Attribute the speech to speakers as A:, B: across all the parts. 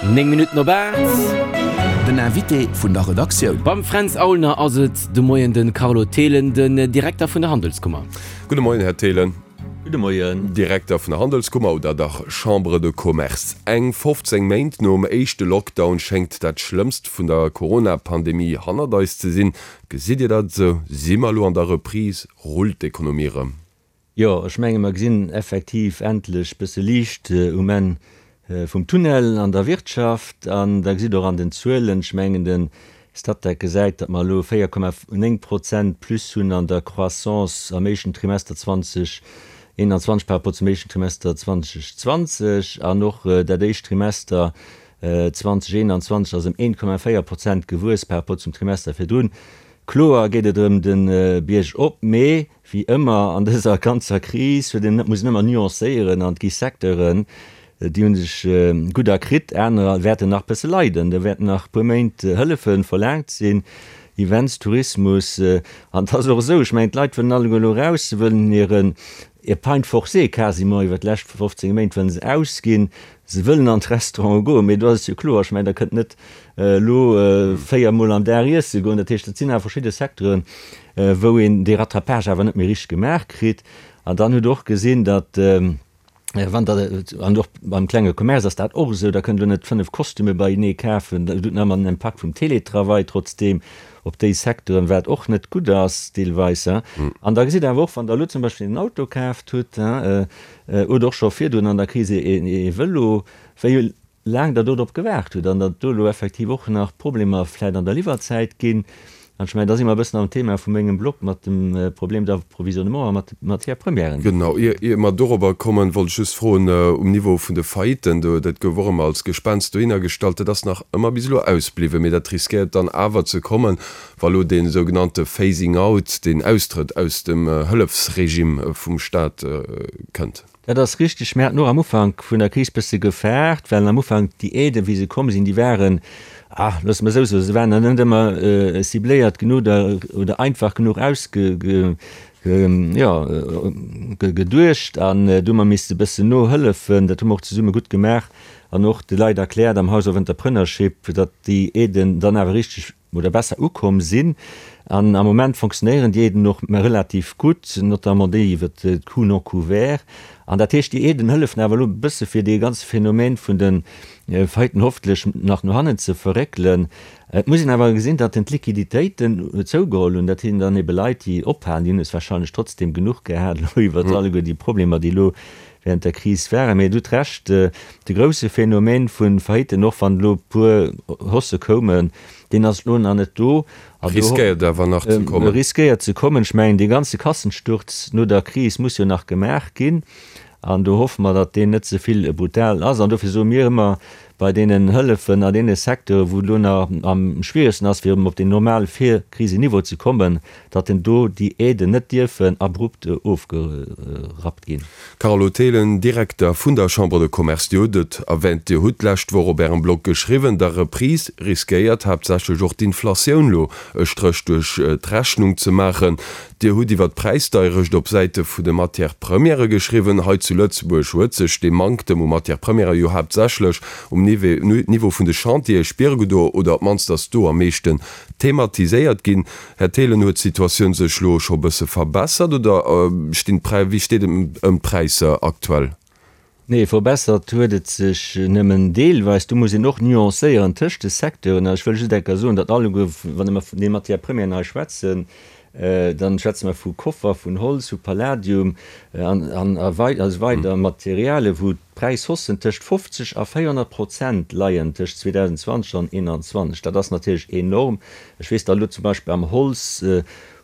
A: 9 Minutten op 8.
B: Den Invité vun der Redaktioun.
A: Beim Fränz Aulner ass et de Moien de Carlo Thelen, den Direkter vun der Handelskummer.
C: Gudde Moien, Här Thelen.
D: Gudde Moien.
C: Direkter vun der Handelskummer oder dach Chambre de Commerce. Eng 15 Méint nom éischte Lockdown schéngt dat Schlëmmst vun der Corona-Pandemie hannert eis ze sinn. Gesitt Dir dat esou? Si mer elo an der Reprise? Rullt d'Ekonomie erëm?
D: Jo, ech menge mer gesinn effektiv endlech bësse Liicht um Enn vum Tunnel an der Wirtschaft. An der gesitt och an den Zuelen, ech mengen de Statec gesäit, datt mer elo 4,9 Prozent plus hunn an der Croissance am éischten Trimester 2021 par rapport zum éischten Trimester 2020. An och dat éischt Trimester 2021 ass ëm 1,4 Prozent gewuess par rapport zum Trimester virdrun. Kloer geet et erëm de Bierg op, mee Wéi ëmmer an dëser ganzer Kris huet een, muss een ëmmer nuancéieren an et gi Secteuren, déi hu sech gutt erkritt, anerer wäerten nach bësse leiden, do wäerten nach e puer Méint Hëllefe verlaangt sinn, Events, Tourismus. An et ass och esou, ech mengen d'Leit wëllen alleguer elo eraus, se wëllen hiren Épargne forcée quasiment iwwert d'lescht 15 Méint wëllen se ausginn, se wëllen an d'Restaurante goen, mee do ass et jo kloer, ech mengen der kënnt net elo 4 mol am Dag iesse goen. Dat heescht, dat sinn awer verschidde Secteuren, wou een dee Rattrapage awer net méi richteg gemaach kritt. An dann hutt Der och gesinn, datt wann Der, an och beim klenge Commerce ass dat och esou, da kënnt Der net 5 Kostüme beienee kafen, dat huet nach ëmmer den Impakt vum Télétravail trotzdeem op déi Secteuren, wat och net gutt ass deelweis. An da gesitt Der awer och, wann Der elo zum Beispill en Auto kaaft hutt oder och scho virdrun an der Kris ee Vëlo, wéi laang Der do drop gewaart hutt an datt do elo effektiv och nach Problemer vläicht an der Liwwerzäit ginn. An ech mengen, da si mer e bëssen am Thema vu mengem Blog mat dem Problem d'approvisionnement a mat de Matières premièren.
C: Genau. Ier mer dorobber kommen, wollt ech just froen, um Niveau vun de Failliten, do, dat gouf och ëmmer als Gespenst dohinner gestallt, dat ass nach ëmmer bis elo ausbliwwen, mee dat riskéiert dann awer ze kommen, wa elo dee sougenannte Phasing out, deen Austrëtt aus dem Hëllefsregime vum Stat kënnt.
D: Dat ass richteg. Mir haten och am Ufank vun der Kris bësse gefaart, well am Ufank déi Aiden, wéi se komm sinn, déi waren, ah, loosse mer esou soen, se waren net ëmmer cibléiert genuch oder, oder einfach genuch ausge, jo, geduecht. An do hu mer misste bëssen nohëllefen. Dat hu mer och zesumme gutt gemaach an och de Leit erkläert am House of Entrepreneurship, datt déi Aiden dann awer richteg oder besser ukomm sinn. An am Moment fonctionnéieren déi Aiden och relativ gutt, notamment déi iwwer d'Coûts non couverts. An dat heescht, déi Aiden hëllefen awer elo e bësse fir dee ganze Phänomen vun de Failliten hoffentlech nach no hannen ze verréckelen. Et muss een awer gesinn, datt en d'Liquiditéiten zougeholl hunn. Dat sinn dann ebe Leit, déi ophalen. Déi hunn es wahrscheinlech trotzdem genuch gehat elo iwwer alleguer déi Problemer, déi elo während der Kris waren. Mee et hutt Recht, de grousse Phänomen vu Failliten, och wann elo e puer Haussë koumen, deen ass elo nach net do.
C: An do Riskéiert awer nach ze kommen.
D: Riskéiert ze kommen. Ech mengen, dee ganze Kassensturz no der Kris muss jo nach gemaach ginn. An do hoffe mer, datt deen net ze vill brutal ass. An dofir soe mir ëmmer, bei deenen Hëllefen a deene Secteure wou et elo nach am schwieregsten ass, fir erëm op deen normale Virkriseniveau ze kommen, datt en do déi Aiden net dierfen abrupt ofgerappt ginn.
C: Carlo Thelen, Direkter vun der Chambre de Commerce, Dir hutt et erwänt, Dir hutt d'lescht Woch op Ärem Blog geschriwwen, der Reprise riskéiert haaptsächlech och d'Inflatioun lo e Stréch duerch d'Rechnung ze maachen. Dir hutt iwwer d'Präisdeierecht op Säite vu de Matières premièrë geschriwwen. Hei zu Lëtzebuerg huet sech dee Manktem u Matières premièrë jo haaptsächlech um Niveau vun de Chantiere spiere gedo, oder op d'mannst ass do am meeschten thematiséiert ginn. Här Thelen, huet d'Situatioun sech lo scho bësse verbessert oder stinn d'Präi, wéi steet et ëm d'Präisser aktuell?
D: Nee, verbessert huet et sech nëmmen deelweis. Do muss een och nuancéieren tëscht de Secteuren. A ech wëll just eng Kéier soen, datt alleguer, wann mer vun de Matières premièren hei schwätzen, da schwätze mer vu Koffer, vun Holz, vu Palladium an a esou weider Materialien, wou d'Präishaussen tëscht 50 a 400 Prozent leien tëscht 2020 an 2021. Dat ass natierlech enorm. Ech weess, datt elo zum Beispill am Holz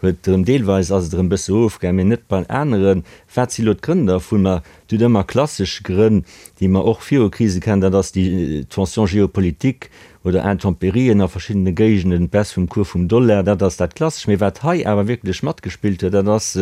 D: huet erëm deelweis ass et erëm e bësse erofgaangen, mee net bei aneren. Wat si elo d'Grënn dervun? Ma et huet ëmmer klassesch Grënn, déi mer och viru Krise kennen, dat ass déi Tension géopolitique oder Intempérien a verschiddene Géigenden, d'Baisse vum Cours vum Dollar, dat ass dat Klassesch. Mee wat hei awer wierklech matgespillt huet, dat ass,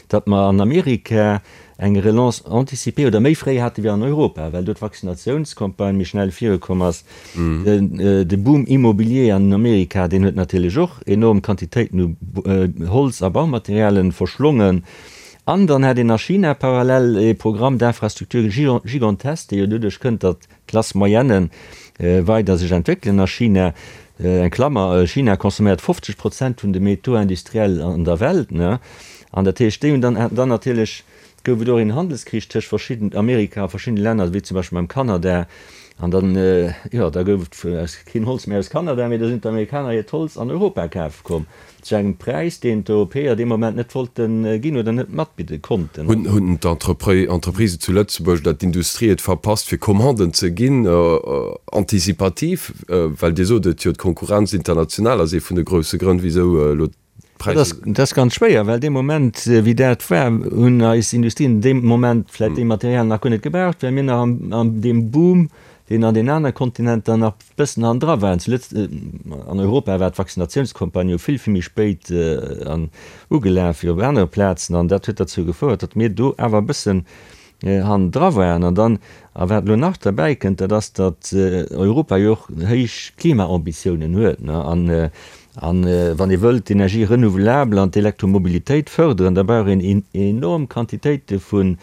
D: datt mer an Amerika eng Relance anticipée oder méi fréi hate wéi an Europa, well do d'Vaccinatiounscampagne méi schnell virukomm ass. De Boom immobilier an Amerika, deen huet natierlech och enorm Quantitéiten u Holz a Baumaterialen verschlongen. An dann hat een a China parallel ee Programme d'infrastructure gigantesque, dee jo doduerch kënnt, datt d'Classe moyenne. weider sech entwéckelen a China. Eng Klammer, China consomméiert 50 Prozent vun de Métaux industriels an der Welt, ne? An dat heescht, déi hunn dann, dann natierlech gouf et och een Handelskrich tëscht verschidden, Amerika a verschiddene Länner, wéi zum Beispill mam Kanada. An dann, jo, da gouf et keen Holz méi aus Kanada, mee da sinn d'Amerikaner hiert Holz an Europa kafe komm. Zu engem Präis, deen d'Europäer dee Moment net wollte ginn oder net matbidde konnten.
C: Hunn d'Entreprisen zu Lëtzebuerg oder d'Industrie et verpasst, fir Commanden ze ginn, anticipativ? Well Dir sot et jo, d'Konkurrenz international ass ee vun de grousse Grënn, wisou elo
D: d'Präisser. Dat ass ganz schwéier, well dee Moment, wéi dat war, hunn eis Industrien dee Moment vläicht déi Materialien nach guer net gebraucht, well mir nach an deem Boom, deen an den anere Kontinenter nach bëssen hannendra waren. Zu Lëtz-, an Europa war d'Vaccinatiounscampagne jo vill, vill méi spéit an ugelaf wéi op anere Plazen an dat huet derzou gefouert, datt mir do awer e bëssen hannendra waren. An dann, a wat elo nach derbäi kënnt, dat ass, datt Europa jo och héich Klimaambitiounen huet, ne, an, an wann ee wëllt d'Energie renouvelable an d'Elektromobilitéit fërderen, da brauch een enorm Quantitéite vun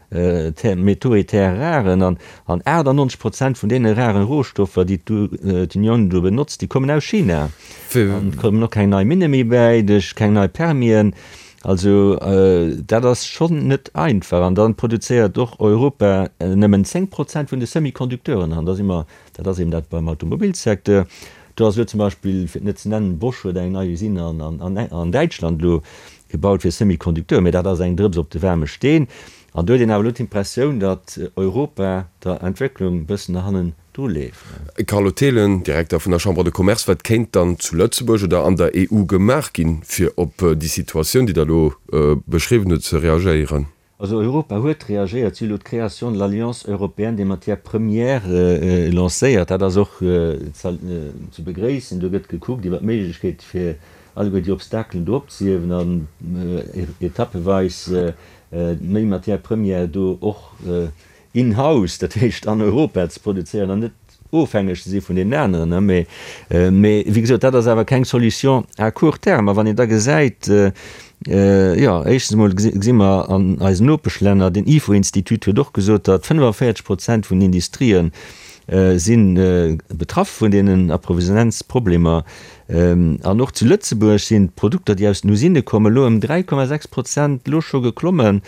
D: Métaux et terres rares an 98 Prozent vun deene raren Rohstoffer, déi d'Unioun do benotzt, déi kommen aus China. An et kommen och keng nei Minne méi bäi, duerch keng nei Permien. Also dat ass schonn net einfach. An da produzéiert och Europa nëmmen 10 Prozent vun de Semi-Conducteuren. An da si mer, dat ass eben dat beim Automobilsecteur, do ass elo zum Beispill, fir et net ze nennen, Bosch huet eng nei Usine an Däitschland elo Gebaut fir Semi-Conducteuren, mä dat ass eng Drëps op de waarme Steen. An do huet een awer elo d'Impressioun, datt Europa der Entwécklung e bëssen no hannen dru leeft.
C: Carlo Thelen, Direkter vun der Chambre de Commerce, Wat kéint dann zu Lëtzebuerg oder an der EU gemaach ginn, fir op déi Situatioun, déi Der elo beschriwwen hutt, ze reagéieren?
D: Also Europa huet reagéiert, si hu elo d'Création de l'Alliance européenne des matières premières lancéiert. Dat ass och ze begréissen. Do gëtt gekuckt iwwer d'Méiglechkeet fir alleguer déi Obstakelen do opzehiewen an etappeweis méi Matières premières do och in-house, dat heescht an Europa ze produzéieren an net ofhängeg ze si vun deenen aneren. Mee, mee wéi gesot, dat ass awer keng Solution à court terme. A wann een da gesäit, jo, éischtens emol gesi mer an eisen Nopeschlänner, den Ifo-Institut huet och gesot, datt 45 Prozent vun den Industrië si betraff vun deenen Approvisionnementsproblemer. An och zu Lëtzebuerg sinn d'Produkter, déi aus den Usinne kommen, elo ëm 3,6 Prozent elo scho geklommen,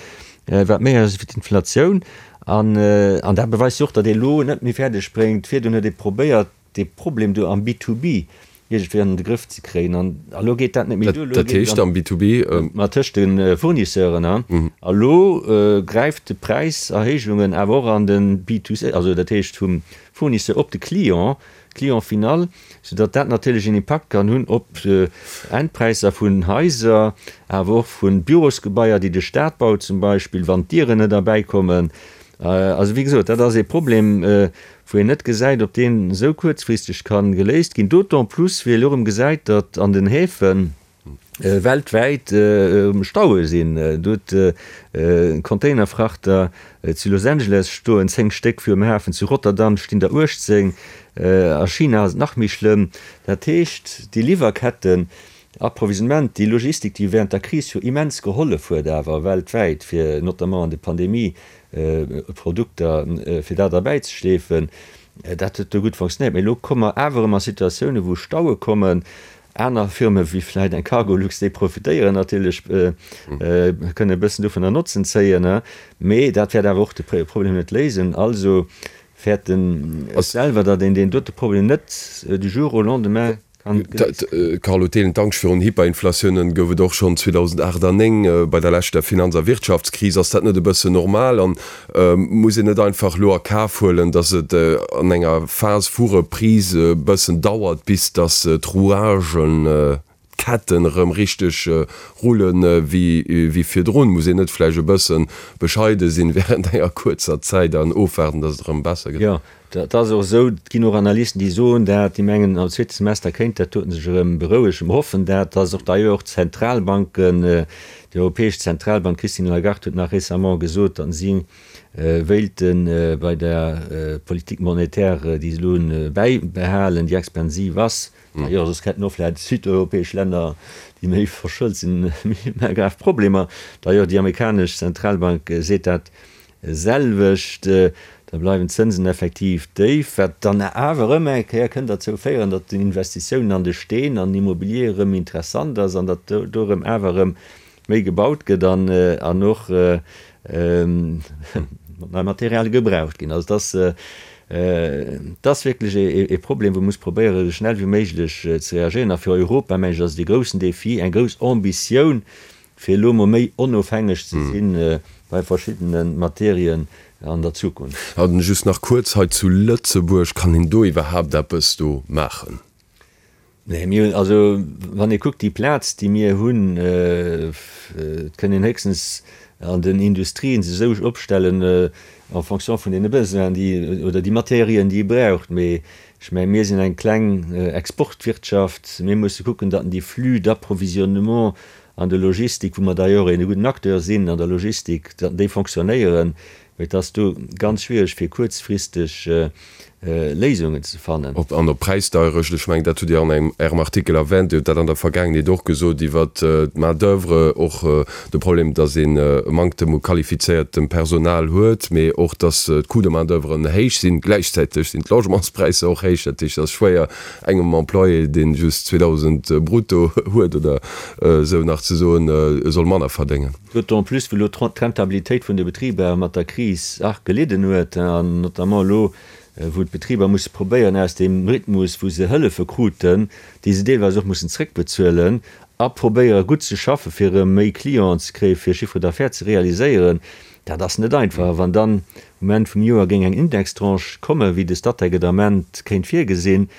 D: wat méi ass wéi d'Inflatioun. An dat beweist jo och, datt ee elo net méi fäerdeg bréngt, virdrun huet ee probéiert, dee Problem do am B-to-B iergendwéi an de Grëff ze kréien, an elo geet dat net méi duer.
C: Dat heescht am B-to-B?
D: Ma tëscht de Fournisseuren. A elo gräift de Präiserhéijungen awer och an de B-to-C, also dat heescht vum Fournisseur op de Client, Client final, soudatt dat natierlech een Impakt kann hunn op Endpräisser vun Haiser, awer och vu Bürosgebaier, déi de Staat baut zum Beispill, wann d'Dieren net erbäikommen. Also wéi gesot, dat ass ee Problem, wou een net gesäit, ob deen esou kuerzfristeg ka geléist ginn, d'autant plus wéi ee elo erëm gesäit, datt an den Häfen, weltwäit Staue sinn. Do huet Containerfrachter zu Los Angeles stoen 10 Stéck virum Hafen, zu Rotterdam stinn der 18, a China ass et nach méi schlëmm. Dat heescht, déi Liwwerketten, Approvisionnement, déi Logistik, déi während der Kris jo immens gehollef huet awer weltwäit, fir notamment an de Pandemie Produkter, fir dat erbäizeschleefen, dat huet do gutt fonctionnéiert. Mee elo komme mer awer erëm a Situatiounen, wou Staue kommen, Aner Firme wéi vläit eng Cargolux, déi profitéieren natierlech, kënnen e bëssen dovunner Notzen zéien, mee dat wäert awer och de Problem net léisen. Also fäerten ech selwer, datt een deen dote Problem net du jour au lendemain kann geléist
C: kréien. Carlo Thelen, D'Angscht virun Hyperinflatiounen gouf et och schonn 2008 an 2009 bei der leschter Finanz a Wirtschaftskris. Ass dat net e bëssen normal? An Muss een net einfach elo a Kaf huelen, datt et an enger Phas vu Reprise e bëssen dauert, bis datt d'Rouagen, d'Ketten erëm richteg rulle wéi virdrun? Muss een net vläicht e bësse bescheide sinn während enger kuerzer Zäit an ofwaarden, datt et erëm besser gëtt?
D: Jo, dat ass och esou. Et ginn och Analysten, déi soen dat, déi mengen, am zweete Semester kéint dat doten sech erëm berouegen. Mer hoffen dat. Dat ass och d'ailleurs och d'Zentralbanken, déi Europäesch Zentralbank, d'Christine Lagarde huet nach récemment gesot, datt si wéilte bei der Politique monétaire, déi se elo hunn, bäibehalen, déi expansiv ass. D'ailleurs, soss hätten och vläicht südeuropäesch Länner, déi méi verschëlt sinn, méi grav Problemer. D'ailleurs, déi amerikanesch Zentralbank seet dat selwecht. Da bleiwen d'Zënsen effektiv déif, wat dann awer erëm eng Kéier kënnt derzou féieren, datt den Investitiounen an de Steen, an den Immobilier erëm interessant ass an datt do erëm awer erëm méi gebaut gëtt an an och nei Materialie gebraucht ginn. Also et ass, et ass wierklech ee Problem, wou ee muss probéieren, esou schnell wéi méiglech ze reagéieren. A fir Europa, mengen ech, ass et ee groussen Défi, eng grouss Ambitioun, fir elo mol méi onofhängeg ze si bei verschiddene Materien an der Zukunft.
C: An just nach kuerz hei zu Lëtzebuerg, kann een do iwwerhaapt eppes do maachen?
D: Nee, mir hunn, also wann ee kuckt déi Plaz déi mir hunn, et kënn een héchstens an den Industrien sech esou opstellen en fonction vun deene Besoinen déi, oder déi Materien déi ee braucht, mee ech mengen mir sinn eng kleng Exportwirtschaft, mir musse kucken, datt déi Flux d'approvisionnement An der Logistik, wou mer d'ailleurs een gudden Acteur sinn an der Logistik, déi fonctionnéieren, mee et ass do ganz schwierig fir kuerzfristeg Léisungen ze fannen.
C: An op Präisdeierecht, ech mengen dat hutt Dir an Ärem Artikel erwänt, Dir hutt dat an der Vergaangenheet och gesot iwwert d'Main d'oeuvre, och de Problem, datt een e Manktem u qualifizéiertem Personal huet, mee och datt d'Coûts de main d'oeuvre héich sinn. Gläichzäiteg sinn d'Logementspräisser och héich, dat heescht et ass schwéier engem Employé, dee just 2.000 brutto huet oder esou, nach ze soen, e soll manner verdéngen.
D: D'autant plus, wou elo d'Rentabilitéit vun de Betriber mat der Kris arg gelidden huet, an notamment elo, wou d'Betriber musse probéieren, aus deem Rhythmus, wou se Hëllefe kruten, déi se deelweis och mussen zréckbezuelen, a probéiere gutt ze schaffen, fir erëm méi Clienten ze kréien, fir Chiffre d'affaires ze realiséieren, dat ass net einfach. A wann dann um Enn vum Joer géing eng Indextranche kommen, wéi de Statec et am Ament kéint virgesinn,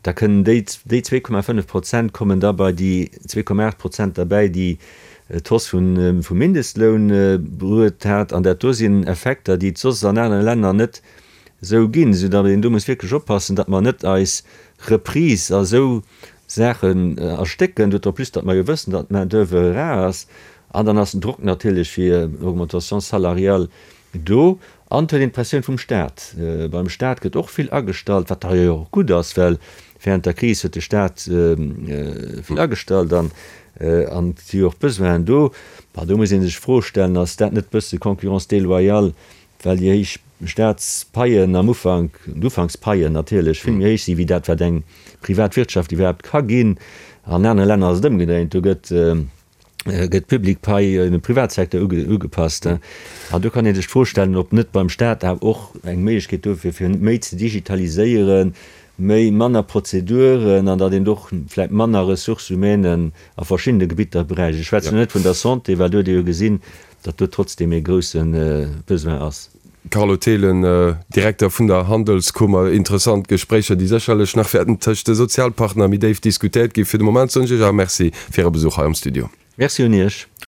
D: da kënnen déi déi 2,5 Prozent kommen da bei déi 2,8 Prozent derbäi, déi d'Hausse vum Mindestloun bruet hat. An dat do sinn Effekter, déi et soss an anere Länner net esou ginn, soudatt een do muss wierklech oppassen, datt mer net eis Reprise a sou Saachen erstécken, d'autant plus datt mer jo wëssen, datt d'Main d'oeuvre rar ass. An dann ass den Drock natierlech fir Augmentation salariale do. An et huet een d'Pressioun vum Staat. Beim Staat gëtt och vill agestallt, wat d'ailleurs och gutt ass, well während der Kris huet de Staat vill agestallt an et si jo och Besoinen do. Bah, do muss ee sech d'Fro stellen, Ass dat net bësse Concurrence déloyale, well déi héich Staatspaien am Ufank, d'Ufankspaien natierlech, vill méi héich si wéi dat, wat eng privat Wirtschaft iwwerhaapt ka ginn. An anere Länner ass et ëmgedréint, do gëtt gëtt d'Public Pay dem Privatsecteur ugepasst. An do kann ee sech d'Fro stellen, ob net beim Staat awer och eng Méiglechkeet do wier, fir méi ze digitaliséieren, méi, manner Prozeduren an datt een do och vläicht manner Ressources humaines a verschiddene Gebitter bräicht. Ech schwätzen elo net vun der Santé, well do huet ee jo gesinn, datt do trotzdem ee grousse Besoin ass.
C: Carlo Thelen, Direkter vun der Handelskummer, Interessant Gespréicher, déi sécherlech nach wäerten tëscht de Sozialpartner méi déif diskutéiert ginn. Fir de Moment soen ech Iech awer Merci fir Äre Besuch hei am Studio.
D: Merci un Iech.